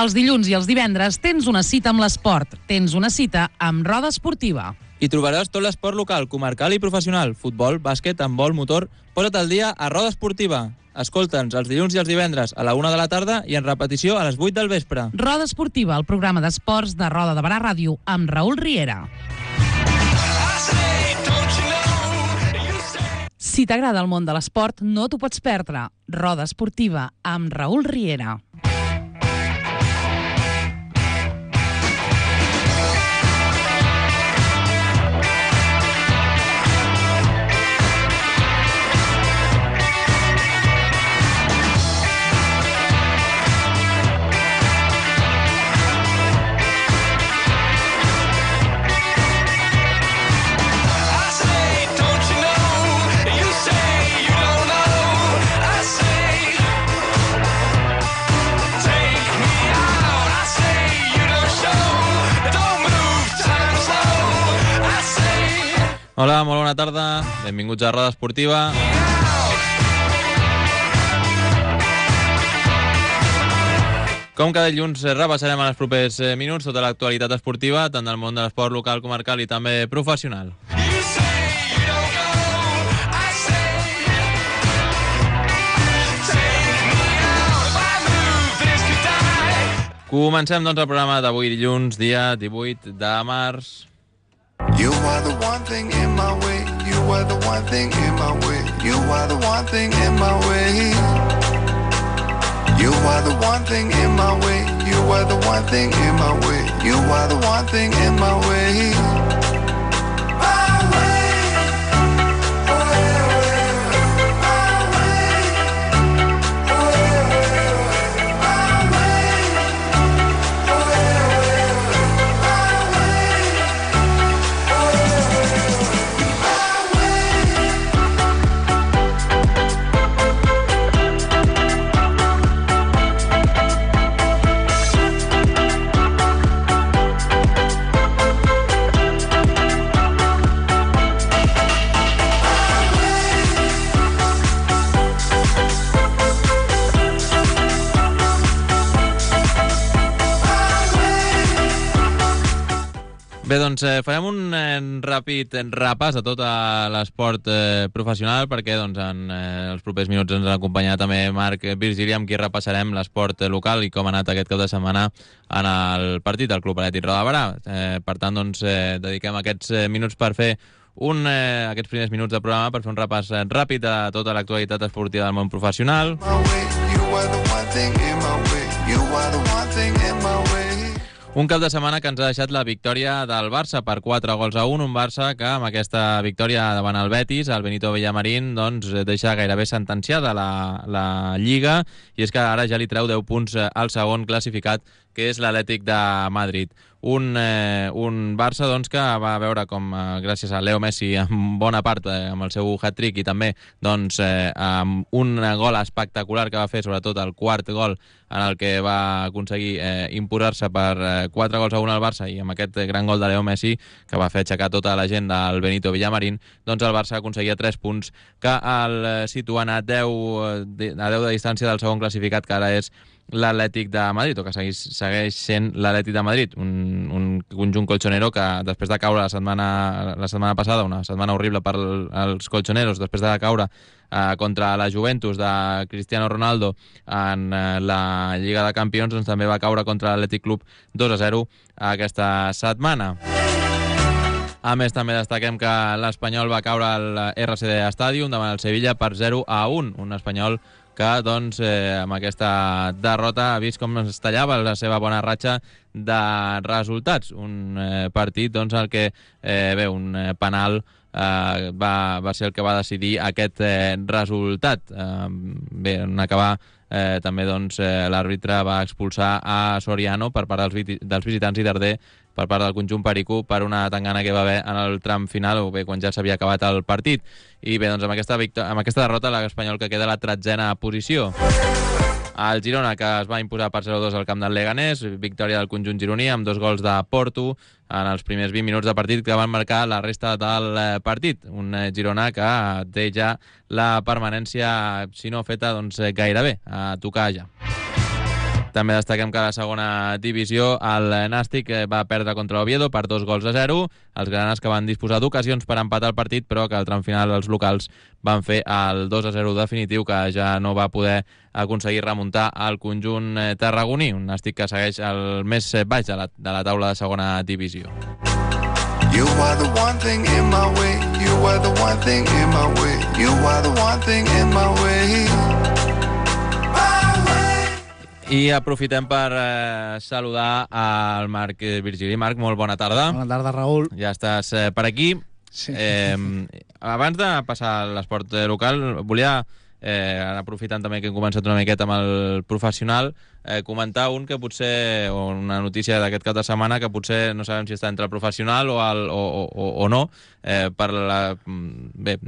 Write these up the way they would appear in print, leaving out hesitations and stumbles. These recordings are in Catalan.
Els dilluns i els divendres tens una cita amb l'esport. Tens una cita amb Roda Esportiva. Hi trobaràs tot l'esport local, comarcal i professional. Futbol, bàsquet, handbol, motor. Posa't al dia a Roda Esportiva. Escolta'ns els dilluns i els divendres a la 1 de la tarda i en repetició a les 8 del vespre. Roda Esportiva, el programa d'esports de Roda de Barà Ràdio amb Raül Riera. Si t'agrada el món de l'esport, no t'ho pots perdre. Roda Esportiva amb Raül Riera. Hola, molt bona tarda. Benvinguts a Roda Esportiva. Com cada dilluns repassarem en els propers minuts tota l'actualitat esportiva, tant del món de l'esport local, comarcal i també professional. Comencem, doncs, el programa d'avui dilluns, dia 18 de març. You are the one thing in my way. You are the one thing in my way. You are the one thing in my way. You are the one thing in my way. You are the one thing in my way. You are the one thing in my way. Bé, doncs farem un ràpid repàs a tot l'esport professional perquè doncs, en els propers minuts ens acompanyarà també Marc Virgili, amb qui repassarem l'esport local i com ha anat aquest cap de setmana en el partit del Club Atlètic Roda de Barà. Per tant, doncs, dediquem aquests minuts per fer aquests primers minuts de programa per fer un repàs ràpid a tota l'actualitat esportiva del món professional. Un cap de setmana que ens ha deixat la victòria del Barça per 4-1, un Barça que amb aquesta victòria davant el Betis, el Benito Villamarín, doncs deixa gairebé sentenciada la Lliga, i és que ara ja li treu 10 punts al segon classificat, que és l'Atlètic de Madrid. Un Barça doncs, que va veure com, gràcies a Leo Messi, en bona part amb el seu hat-trick i també doncs, amb un gol espectacular que va fer, sobretot el quart gol en el que va aconseguir imposar-se per 4-1 al Barça, i amb aquest gran gol de Leo Messi que va fer aixecar tota la gent del Benito Villamarín, doncs el Barça aconseguia 3 punts que el situen a 10 de distància del segon classificat, que ara és l'Atlètic de Madrid, o que segueix sent l'Atlètic de Madrid, un conjunt colchonero que després de caure la setmana passada, una setmana horrible per als colchoneros, després de caure contra la Juventus de Cristiano Ronaldo en la Lliga de Campions, doncs també va caure contra l'Atlètic Club 2-0 aquesta setmana. A més, també destaquem que l'Espanyol va caure al RCD Stadium davant el Sevilla per 0-1, un Espanyol que doncs, amb aquesta derrota ha vist com es tallava la seva bona ratxa de resultats. Un partit doncs, en el que un penal va ser el que va decidir aquest resultat. En acabar, també doncs, l'àrbitre va expulsar a Soriano per part dels visitants i Darder per part del conjunt perico per una tangana que va haver en el tram final, o bé quan ja s'havia acabat el partit. I bé, doncs amb aquesta derrota l'Espanyol que queda a la 13a posició. El Girona, que es va imposar per 0-2 al camp del Leganés, victòria del conjunt gironí amb 2 gols de Porto en els primers 20 minuts de partit que van marcar la resta del partit. Un Girona que té ja la permanència, si no feta, doncs gairebé a tocar ja. També destaquem que a la segona divisió el Nàstic va perdre contra l'Oviedo per 2-0. Els granes que van disposar d'ocasions per empatar el partit, però que al tram final els locals van fer el 2-0 definitiu, que ja no va poder aconseguir remuntar el conjunt tarragoní. Un Nàstic que segueix el més baix de la taula de segona divisió. You are the one thing in my way. You are the one thing in my way. You are the one thing in my way. I aprofitem per saludar al Marc Virgili. Marc, molt bona tarda. Bona tarda, Raül. Ja estàs per aquí. Sí. Abans de passar a l'esport local, volia, aprofitant també que hem començat una miqueta amb el professional, comentar una notícia d'aquest cap de setmana que potser no sabem si està entre el professional o no,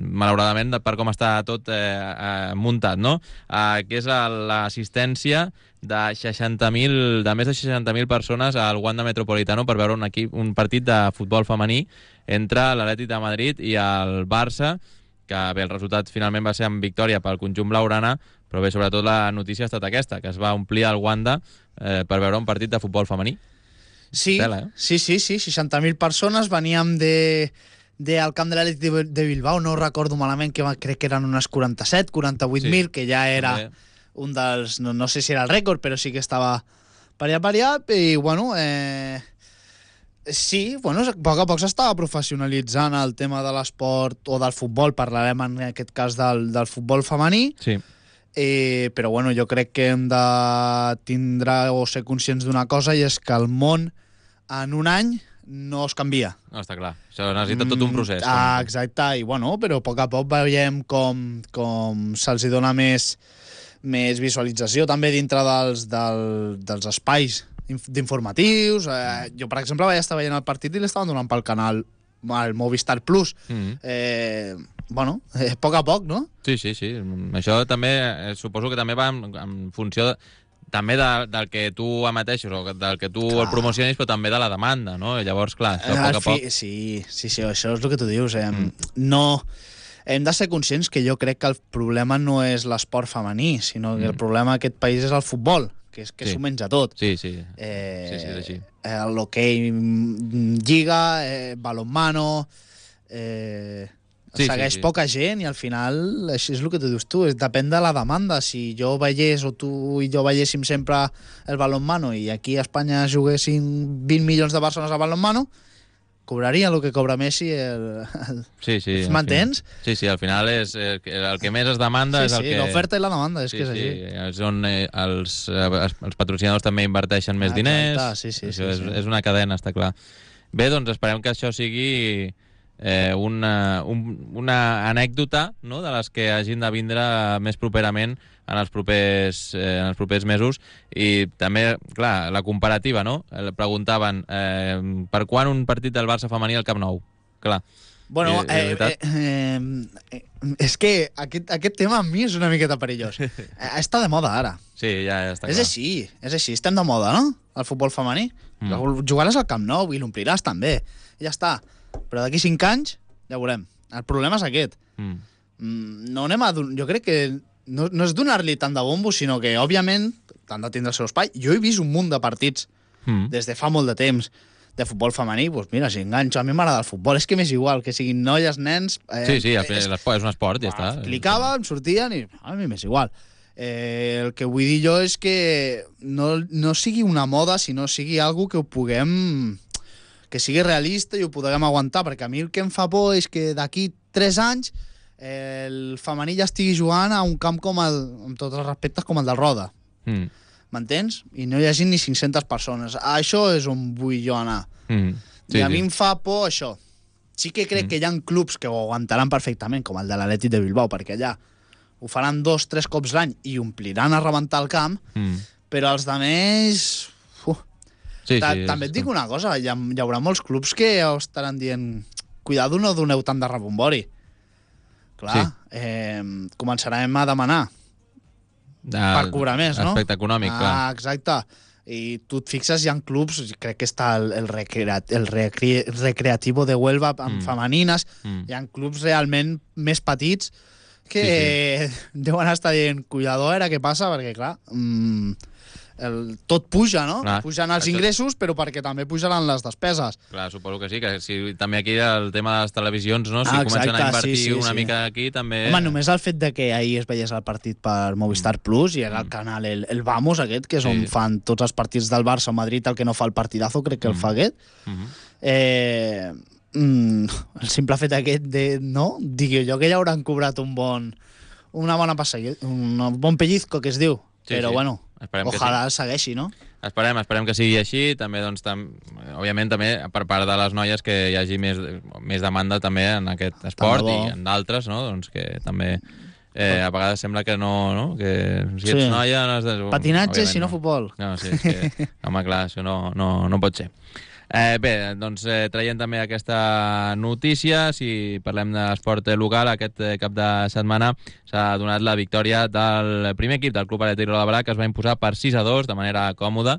malauradament per com està tot muntat, no? Que és l'assistència de més de 60.000 persones al Wanda Metropolitano per veure un partit de futbol femení entre l'Atlètic de Madrid i el Barça, que bé, el resultat finalment va ser amb victòria pel conjunt blaugrana, però bé, sobretot la notícia ha estat aquesta, que es va omplir el Wanda per veure un partit de futbol femení. Sí, Tela, sí, 60.000 persones, veníem del camp de l'Atlètic de Bilbao, no recordo malament, crec que eren unes 48.000, que ja era un dels, no sé si era el rècord, però sí que estava per allà, i bueno, sí, bueno, a poc s'estava professionalitzant el tema de l'esport o del futbol, parlarem en aquest cas del futbol femení, sí. Però bueno, jo crec que hem de tindre o ser conscients d'una cosa, i és que el món en un any no es canvia. No, està clar, això necessita tot un procés. Exacte, i bueno, però a poc veiem com se'ls dona més visualització també dintre dels espais d'informatius. Jo, per exemple, vaig estar veient el partit i l'estaven donant pel canal, el Movistar Plus. Bueno, a poc, no? Sí. Això també, suposo que també va en funció també del que tu emeteixes o del que tu el promocionis, però també de la demanda, no? I llavors, clar, això a poc. Sí, això és el que tu dius. No... Hem de ser conscients que jo crec que el problema no és l'esport femení, sinó que el problema d'aquest país és el futbol, que s'ho menja tot. Sí, és així. L'hoquei lliga, balonmano... segueix poca gent, i al final això és el que tu dius tu, depèn de la demanda. Si jo veiés, o tu i jo veiéssim sempre el balonmano, i aquí a Espanya juguessin 20 milions de persones a balonmano, cobraria el que cobra Messi. Sí. M'entens? Sí, al final és el que més es demanda. Sí, és el que... l'oferta i la demanda, és que és així. És on els patrocinadors també inverteixen més diners. Sí. És una cadena, està clar. Bé, doncs esperem que això sigui una anècdota, no?, de les que hagin de vindre més properament en els propers mesos. I també, clar, la comparativa, no? Preguntaven per quan un partit del Barça femení al Camp Nou? Clar. Bueno, és que aquest tema a mi és una miqueta perillós. Està de moda ara. Sí, ja està clar. És així, estem de moda, no? El futbol femení. Jugaràs al Camp Nou i l'ompliràs també. I ja està. Però d'aquí 5 anys ja veurem. El problema és aquest. No anem jo crec que no és donar-li tant de bombo, sinó que, òbviament, t'han de tindre el seu espai. Jo he vist un munt de partits des de fa molt de temps de futbol femení. Doncs mira, si enganxo, a mi m'agrada el futbol. És que m'és igual, que siguin noies, nens... Sí, és un esport, ja està. Clicava, em sortien i a mi m'és igual. El que vull dir jo és que no sigui una moda, sinó sigui algo que ho puguem... que sigui realista i ho puguem aguantar, perquè a mi el que em fa por és que d'aquí 3 anys el femení ja estigui jugant a un camp amb tots els respectes, com el del Roda. M'entens? I no hi hagi ni 500 persones. Això és on vull jo anar. I a mi em fa por això. Sí que crec que hi ha clubs que ho aguantaran perfectament, com el de l'Atlètic de Bilbao, perquè allà ho faran 2-3 cops l'any i ompliran a rebentar el camp, però els altres... També et dic una cosa, hi haurà molts clubs que estaran dient cuidado, no doneu tant de rebombori. Clar, començarem a demanar per cobrar més, no? Aspecte econòmic, clar. Exacte. I tu et fixes, hi ha clubs, crec que està el Recreativo de Huelva amb femenines, hi ha clubs realment més petits que deuen estar dient cuidado, què passa, perquè clar... tot puja, no? Clar, Pujan els això... ingressos, però perquè també pujaran les despeses. Clar, suposo que sí, que si també aquí el tema de les televisions, no? Si comencen a invertir una mica aquí, també... Home, només el fet de que ahir es veiés el partit per Movistar Plus i era el canal, el Vamos aquest, que és on fan tots els partits del Barça o Madrid, el que no fa el partidazo, crec que el fa aquest. El simple fet aquest de, no? Dic jo que ja hauran cobrat un bon pellizco, que es diu. Sí, però sí. bueno, ojalà sí. segueixi, no? Esperem que sigui així. També, doncs, òbviament, també per part de les noies que hi hagi més demanda també en aquest esport i en d'altres, no? Doncs que també a vegades sembla que no? Que si ets noia... No has de... Patinatge, si no futbol. No, sí, és que, home, clar, això no pot ser. Bé, doncs traient també aquesta notícia, si parlem d'esport local, aquest cap de setmana s'ha donat la victòria del primer equip del Club Atlètic Roda Barà, que es va imposar per 6-2 de manera còmoda,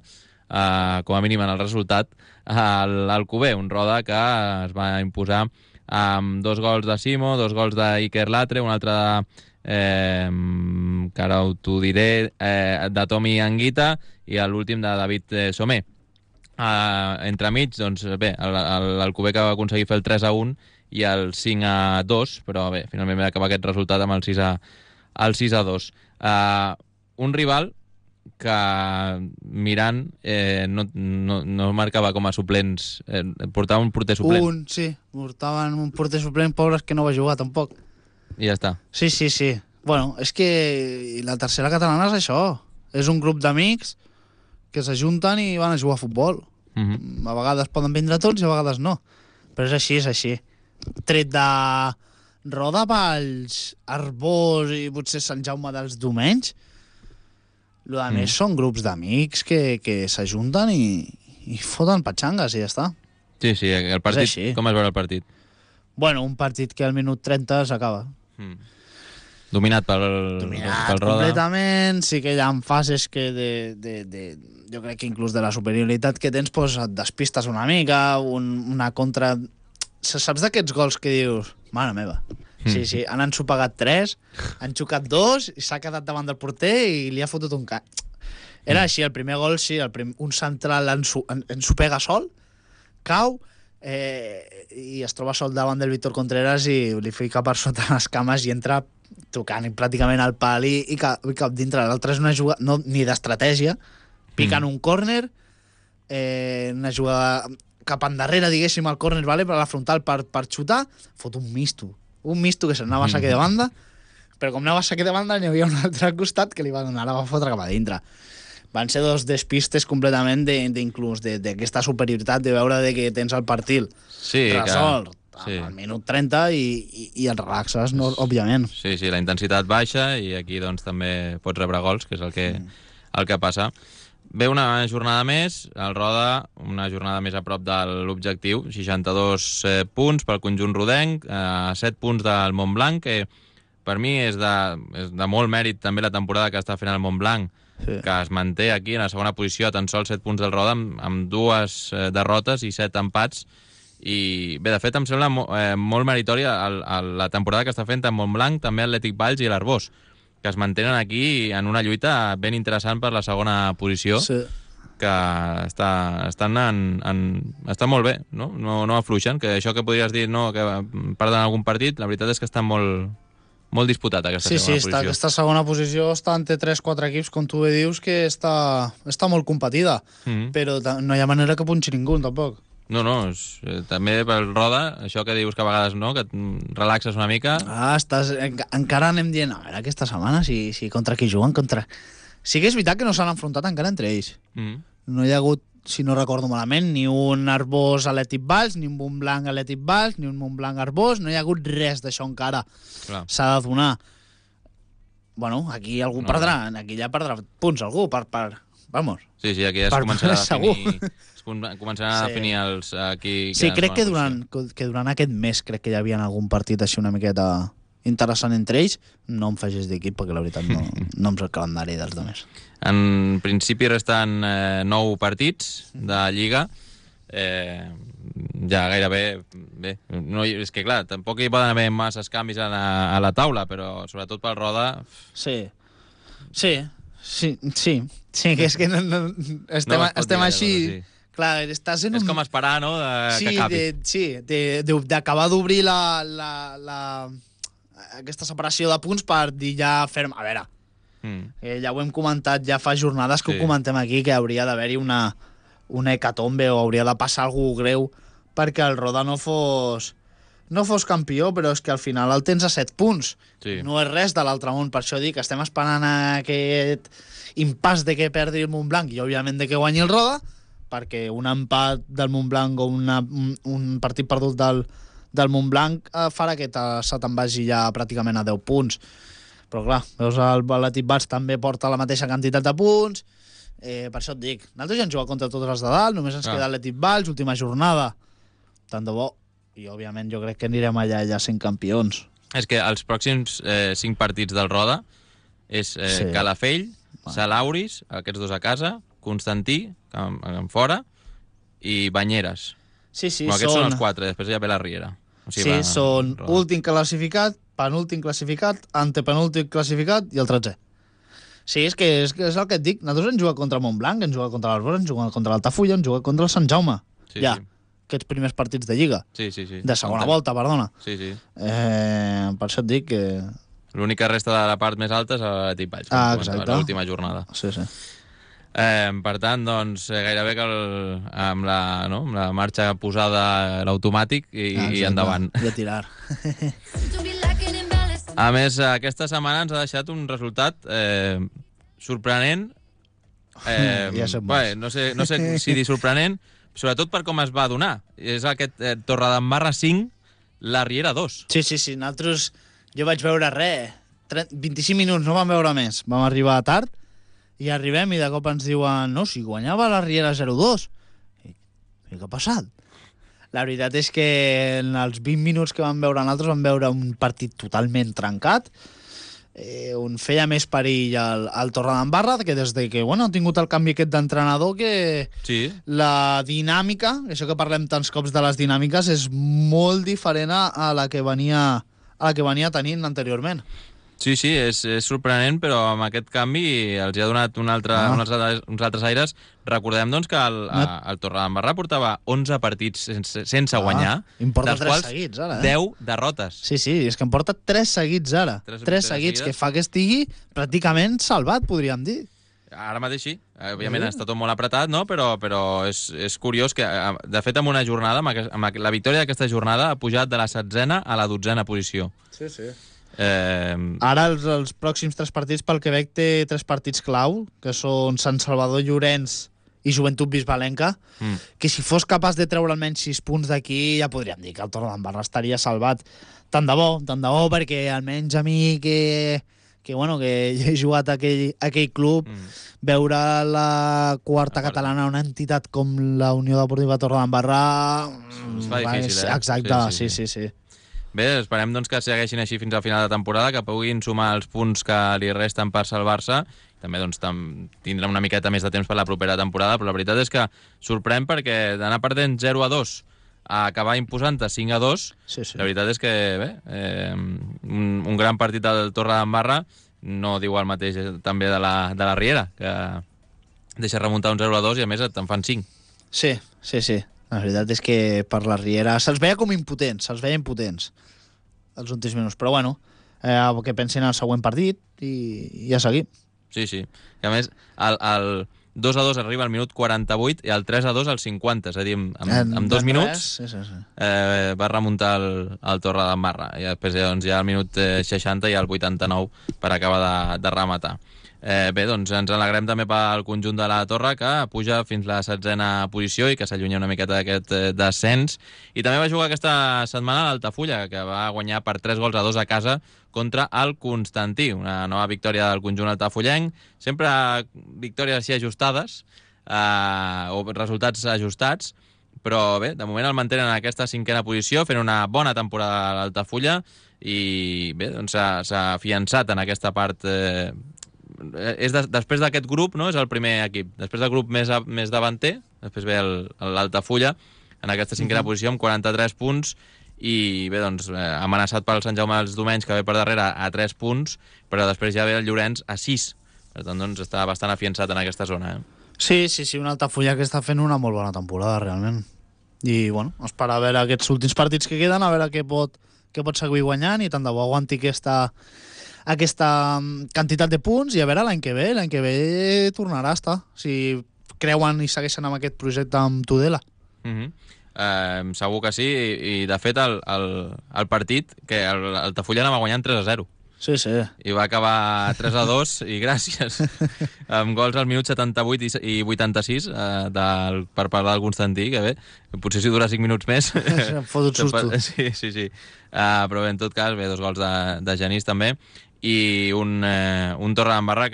com a mínim en el resultat, al Alcover, un Roda que es va imposar amb 2 gols de Simo, 2 gols d'Iker Latre, un altre que ara t'ho diré, de Tomi Anguita i l'últim de David Somer. Entremig, doncs bé, l'Alcover que va aconseguir fer el 3-1 i el 5-2, però bé, finalment va acabar aquest resultat amb el 6-2. Un rival que mirant no marcava com a suplents, portava un porter suplent. Portaven un porter suplent, pobres, que no va jugar tampoc. I ja està. Sí. Bueno, és que la tercera catalana és això. És un grup d'amics que s'ajunten i van a jugar a futbol. A vegades poden vindre tots i a vegades no. Però és així. Tret de Roda, Valls, Arbós i potser Sant Jaume dels Domenys, el que més són grups d'amics que s'ajunten i foten patxangues i ja està. Sí, el partit, com es veu el partit? Bueno, un partit que al minut 30 s'acaba. Dominat pel Roda. Completament, sí que hi ha fases que jo crec que inclús de la superioritat que tens, pues, et despistes una mica, una contra... Saps d'aquests gols que dius, mare meva, sí, han ensopegat 3, han xocat 2 i s'ha quedat davant del porter i li ha fotut un cap. Era així, el primer gol, sí, un central ensopega sol, cau, i es troba sol davant del Víctor Contreras i li fica per sota les cames i entra tocant pràcticament al pal i cap dintre. L'altre és una jugada ni d'estratègia, piquen un córner, una jugada cap endarrere, diguéssim, al córner, vale, per a la frontal per xutar, fot un misto que s'anava a saque de banda, però com anava a saque de banda n'hi havia un altre costat que li va donar, la va fotre cap a dintre. Van ser 2 despistes completament inclús d'aquesta superioritat de veure que tens el partit resolt al minut 30 i el relaxes, òbviament. Sí, la intensitat baixa i aquí doncs també pots rebre gols, que és el que passa. Ve una jornada més, el Roda, una jornada més a prop de l'objectiu, 62 punts pel conjunt rodenc, 7 punts del Montblanc, que per mi és de molt mèrit també la temporada que està fent el Montblanc, que es manté aquí en la segona posició a tan sols 7 punts del Roda, amb 2 derrotes i 7 empats. I bé, de fet, em sembla molt meritòria la temporada que està fent tant Montblanc, també Atlètic Valls i l'Arbós, que es mantenen aquí en una lluita ben interessant per la segona posició, que estan molt bé, no? No afluixen, que això que podries dir que perden algun partit, la veritat és que està molt disputat aquesta segona posició. Sí, aquesta segona posició està entre 3-4 equips, com tu bé dius, que està molt competida, però no hi ha manera que punxi ningú, tampoc. No, també pel Roda, això que dius que a vegades que et relaxes una mica... Encara anem dient, a veure, aquesta setmana, si contra qui juguen, Sí que és veritat que no s'han enfrontat encara entre ells. No hi ha hagut, si no recordo malament, ni un Arbós Atlètic Valls, ni un Montblanc Atlètic Valls, ni un Montblanc Arbós, no hi ha hagut res d'això encara. Clar. S'ha de donar. Bueno, aquí algú perdrà, aquí ja perdrà punts algú, vamos. Sí, aquí ja es començarà a definir... Començaran a definir els... Sí, crec que durant aquest mes crec que hi havia algun partit així una miqueta interessant entre ells. No em facis d'equip perquè la veritat no em sé el calendari dels altres. En principi resten 9 partits de Lliga. Ja gairebé... Bé, és que clar, tampoc hi poden haver masses canvis a la taula, però sobretot pel Roda... Sí, Sí, que és que estem així... Sí. Clar, estàs en És com esperar, no?, que acabi. D'acabar d'obrir aquesta separació de punts per dir ja ferm... A veure, ja ho hem comentat ja fa jornades que ho comentem aquí, que hauria d'haver-hi una hecatombe o hauria de passar alguna greu perquè el Roda no fos campió, però és que al final el tens a 7 punts. Sí. No és res de l'altre món, per això dic que estem esperant aquest impàs de que perdi el Montblanc i, òbviament, de que guanyi el Roda, perquè un empat del Montblanc o un partit perdut del Montblanc farà que se te'n vagi ja pràcticament a 10 punts. Però, clar, veus, l'Atlètic Valls també porta la mateixa quantitat de punts. Per això et dic, nosaltres ja hem jugat contra tots els de dalt, només ens queda l'Atlètic Valls, última jornada. Tant de bo. I, òbviament, jo crec que anirem allà ja sent campions. És que els pròxims 5 partits del Roda és Calafell, Salauris, aquests dos a casa, Constantí, en fora, i Banyeres. Sí, aquests són els 4, després ja ve la Riera. O sigui, són últim classificat, penúltim classificat, antepenúltim classificat i el 13è. Sí, és el que et dic. Nosaltres hem jugat contra Montblanc, hem jugat contra l'Arbós, hem jugat contra l'Altafulla, hem jugat contra el Sant Jaume. Ja, aquests primers partits de Lliga. Sí. De segona volta, perdona. Sí. Per això et dic que... L'única resta de la part més alta és l'Atlètic Valls, exacte. L'última jornada. Sí. Per tant, doncs, gairebé que amb la marxa posada l'automàtic i endavant. I a tirar. A més, aquesta setmana ens ha deixat un resultat sorprenent. Ja som molts. No sé si dir sorprenent, sobretot per com es va donar. És aquest Torredembarra 5, la Riera 2. Sí. Nosaltres, jo vaig veure 25 minuts, no vam veure més. Vam arribar tard i arribem i de cop ens diuen no, si guanyava la Riera 0-2. I què ha passat? La veritat és que en els 20 minuts que vam veure nosaltres vam veure un partit totalment trencat, on feia més perill el Torredembarra, que des de que ha tingut el canvi aquest d'entrenador, que la dinàmica, això que parlem tants cops de les dinàmiques, és molt diferent a la que venia tenint anteriorment. Sí, és sorprenent, però amb aquest canvi els ha donat uns altres aires. Recordem, doncs, que el Torredembarra portava 11 partits sense guanyar, dels quals seguits, ara, 10 derrotes. Sí, és que en porta 3 seguits ara. 3 seguits, que fa que estigui pràcticament salvat, podríem dir. Ara mateix sí. Òbviament està tot molt apretat, no? Però és curiós que, de fet, en una jornada, amb la victòria d'aquesta jornada, ha pujat de la 7a a la 12a posició. Sí. Ara els pròxims 3 partits, pel Quebec, té 3 partits clau, que són Sant Salvador, Llorenç i Joventut Bisbalenca, que si fos capaç de treure almenys 6 punts d'aquí, ja podríem dir que el Torredembarra estaria salvat. Tant de bo, perquè almenys a mi que he jugat a aquell club, veure la quarta catalana, una entitat com la Unió Deportiva Torredembarra... Es fa difícil, Exacte, sí. Bé, esperem doncs, que segueixin així fins al final de temporada, que puguin sumar els punts que li resten per salvar-se. També doncs, tindrem una miqueta més de temps per la propera temporada, però la veritat és que sorprèn perquè d'anar perdent 0-2 a acabar imposant-te 5-2, la veritat és que un gran partit del Torredembarra no diu el mateix també de la Riera, que deixa remuntar un 0-2 i a més te'n fan 5. Sí. La veritat és que per la Riera se'ls veia com impotents, els últims minuts. Però que pensin en el següent partit i ja seguim. Sí. I a més, el 2-2 arriba al minut 48 i el 3-2 al 50. És a dir, en 2 minuts va remuntar el Torredembarra. I després ja al minut 60 i al 89 per acabar de rematar. Bé, doncs ens alegrem també pel conjunt de la Torre, que puja fins la 7a posició i que s'allunya una miqueta d'aquest descens. I també va jugar aquesta setmana l'Altafulla, que va guanyar per 3-2 a casa contra el Constantí. Una nova victòria del conjunt altafullenc. Sempre victòries així ajustades, o resultats ajustats, però bé, de moment el mantenen en aquesta 5a posició, fent una bona temporada a l'Altafulla i bé, doncs s'ha afiançat en aquesta part... després d'aquest grup, no? És el primer equip. Després del grup més davanter, després ve l'Altafulla en aquesta 5a posició amb 43 punts i bé, doncs, amenaçat pel Sant Jaume dels Domenys, que ve per darrere a 3 punts, però després ja ve el Llorenç a 6, Per tant, doncs, està bastant afiançat en aquesta zona. Sí, un Altafulla que està fent una molt bona temporada, realment. I, bueno, esperar a veure aquests últims partits que queden, a veure què pot seguir guanyant, i tant de bo aguanti aquesta quantitat de punts, i a veure l'any que ve tornarà a estar, si creuen i segueixen amb aquest projecte amb Tudela. Segur que sí, i de fet el partit, que el Altafulla anava guanyant 3-0. Sí. I va acabar 3-2, i gràcies, amb gols al minut 78 i 86, per parlar del Constantí, que bé, potser si dura 5 minuts més... Em fot un susto. Sí. Però bé, en tot cas, bé, 2 gols de Genís també, i un Torredembarra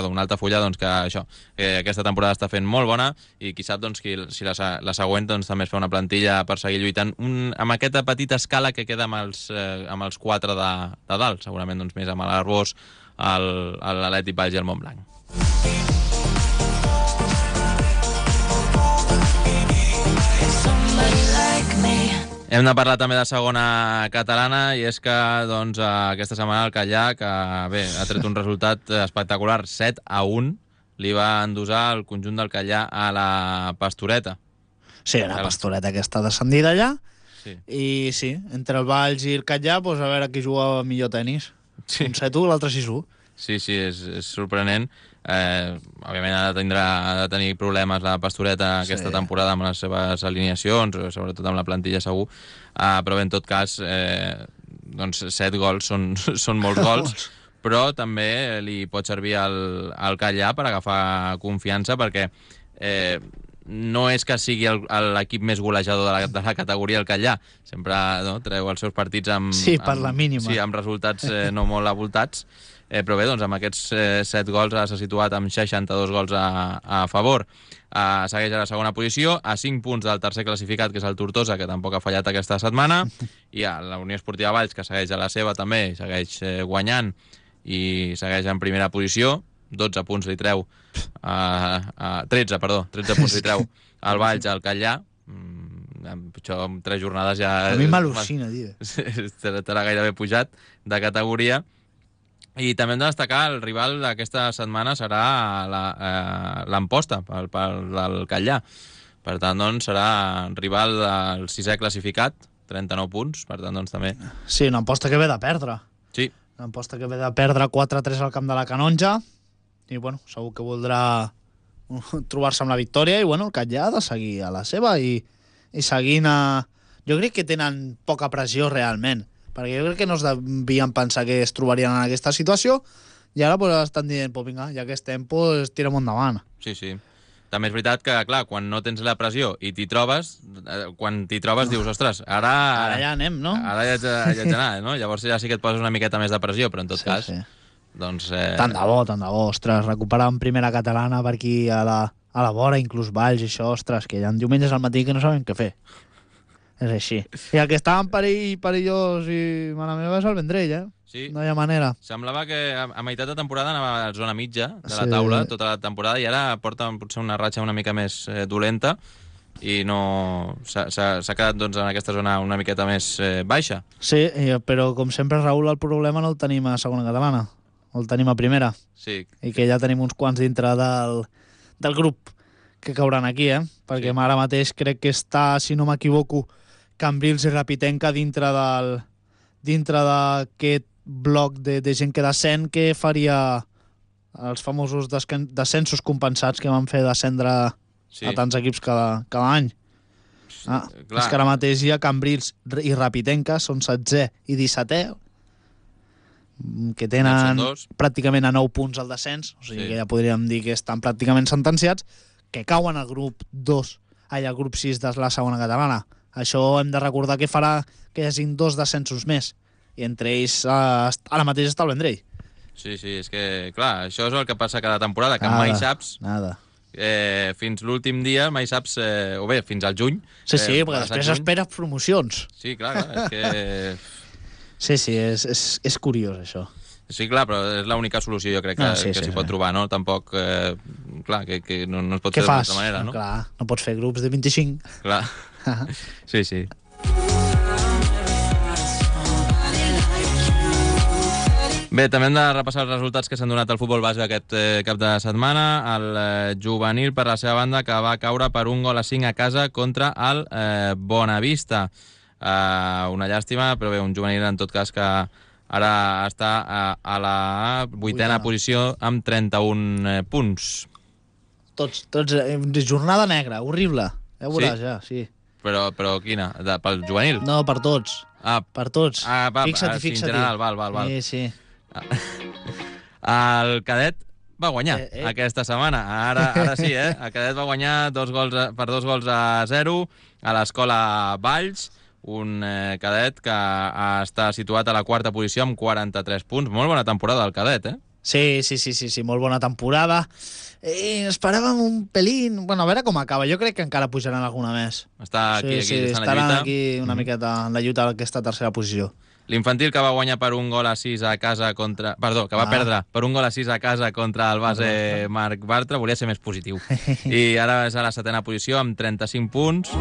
un Altafulla, doncs, que aquesta temporada està fent molt bona, i qui sap doncs, si la següent doncs, també es fa una plantilla per seguir lluitant amb aquesta petita escala que queda amb els 4 de dalt, segurament doncs, més amb l'Arbós, l'Atlètic Valls i el Montblanc. Hem de parlar també de segona catalana, i és que doncs, aquesta setmana el Callà, que bé, ha tret un resultat espectacular, 7-1, li va endosar el conjunt del Callà a la Pastoreta. Sí, la Pastoreta que està descendida allà, sí. I sí, entre el Valls i el Callà, doncs a veure qui juga millor tenis. Sí. Un 7-1, l'altre 6-1. Sí, és sorprenent. Òbviament ha de tenir problemes la Pastoreta aquesta temporada amb les seves alineacions, sobretot amb la plantilla segur, però bé, en tot cas doncs 7 gols són molts gols, però també li pot servir al Callà per agafar confiança, perquè no és que sigui l'equip més golejador de la categoria el Callà, sempre treu els seus partits amb la mínima. Sí, amb resultats no molt avoltats, però bé, doncs amb aquests 7 gols s'ha situat amb 62 gols a favor. Segueix a la segona posició, a 5 punts del tercer classificat, que és el Tortosa, que tampoc ha fallat aquesta setmana, i a la Unió Esportiva Valls, que segueix a la seva també, segueix guanyant i segueix en primera posició. 12 punts li treu 13 punts li treu al Valls, al Callà. Això amb 3 jornades ja... A mi m'al·lucina, tio. Estarà gairebé pujat de categoria. I també hem de destacar el rival d'aquesta setmana serà l'Amposta, del Callà. Per tant, doncs, serà rival del 6è classificat, 39 punts, per tant, doncs, també... Sí, una Amposta que ve de perdre. Sí. Una Amposta que ve de perdre 4-3 al camp de la Canonja, i, bueno, segur que voldrà trobar-se amb la victòria, i, bueno, el Callà ha de seguir a la seva, i seguint a... Jo crec que tenen poca pressió, realment, perquè jo crec que no es devien pensar que es trobarien en aquesta situació, i ara pues, estan dient, pues, vinga, ja que estem, pues, tirem endavant. Sí. També és veritat que, clar, quan no tens la pressió i quan t'hi trobes dius, ostres, ara ja anem, no? Ara ja haig d'anar, no? Llavors ja sí que et poses una miqueta més de pressió, però en tot cas... Sí. Doncs, tant de bo, ostres, recuperar en primera catalana per aquí a la vora, inclús Valls i això, ostres, que hi ha diumenges al matí que no saben què fer. És així. I el que estaven perillós i mala meva és el Vendrell, Sí. No hi ha manera. Semblava que a meitat de temporada anava a la zona mitja de la taula, tota la temporada, i ara porta potser una ratxa una mica més dolenta, i no s'ha quedat doncs, en aquesta zona una miqueta més baixa. Sí, però com sempre, Raül, el problema no el tenim a segona catalana, el tenim a primera. Sí. I que ja tenim uns quants dintre del grup que cauran aquí, perquè sí. Ara mateix crec que està, si no m'equivoco, Cambrils i Rapitenca dintre d'aquest bloc de gent que descen, que faria els famosos descensos compensats que van fer descendre a tants equips cada any. És que ara mateix hi ha Cambrils i Rapitenca, són 16è i 17è, que tenen pràcticament a 9 punts al descens, o sigui que ja podríem dir que estan pràcticament sentenciats, que cauen al grup 2, al grup 6 de la segona catalana. Això hem de recordar que farà que hi hagin 2 descensos més, i entre ells ara mateix està el Vendrell. Sí, és que, clar, això és el que passa cada temporada, que mai saps... Fins l'últim dia mai saps, o bé, fins al juny. Sí, perquè després esperes promocions. Sí, clar, és que... Sí, és curiós, això. Sí, clar, però és l'única solució, jo crec, que s'hi pot trobar, no? Tampoc, clar, que no es pot fer d'una altra manera, no? Clar, no pots fer grups de 25. Clar, sí. Bé, també hem de repassar els resultats que s'han donat al futbol base aquest cap de setmana. El juvenil, per la seva banda, que va caure per 1-5 a casa contra el Bonavista. Una llàstima, però bé, un juvenil en tot cas que ara està a la 8a posició amb 31 punts. Tots, jornada negra, horrible. Ja ho veuràs, ja, sí. Però quina? Pel juvenil? No, per tots. Per tots. Fixa't. En general, val. Sí. El cadet va guanyar aquesta setmana. Ara sí, el cadet va guanyar per 2-0 a l'escola Valls, un cadet que està situat a la 4a posició amb 43 punts. Molt bona temporada del cadet, eh? Sí, molt bona temporada. Esperàvem un pelín... Bueno, a veure com acaba. Jo crec que encara pujaran alguna més. Està aquí, estaran aquí una miqueta en la lluita d'aquesta tercera posició. L'infantil, que va guanyar per 1-6 a casa contra... Perdó, que va perdre per 1-6 a casa contra el base Marc Bartra. Volia ser més positiu. I ara és a la 7a posició amb 35 punts.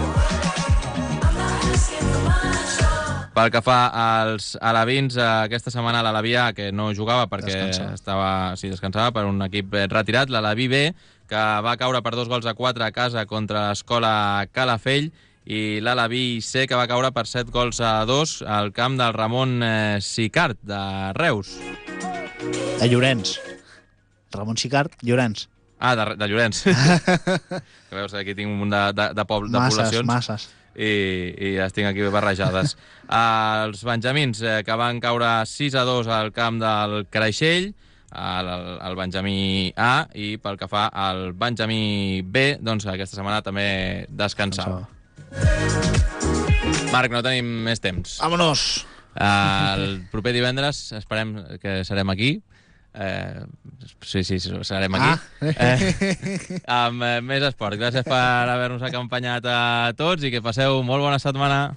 Pel que fa als alevins, aquesta setmana l'Aleví A, que no jugava perquè descansava per un equip retirat, l'Aleví B, que va caure per 2-4 a casa contra l'escola Calafell, i l'Aleví C, que va caure per 7-2 al camp del Ramon Sicart, de Reus. De Llorenç. Ramon Sicart, Llorenç. De Llorenç. Que veus, aquí tinc un munt de poblacions. Masses. I les tinc aquí barrejades. Els benjamins, que van caure 6-2 al camp del Creixell, el Benjamí A, i pel que fa al Benjamí B, doncs aquesta setmana també descansava. Marc, no tenim més temps. Vámonos! El proper divendres esperem que serem aquí. Sí, serem aquí. Amb més esport. Gràcies per haver-nos acompanyat a tots i que passeu molt bona setmana.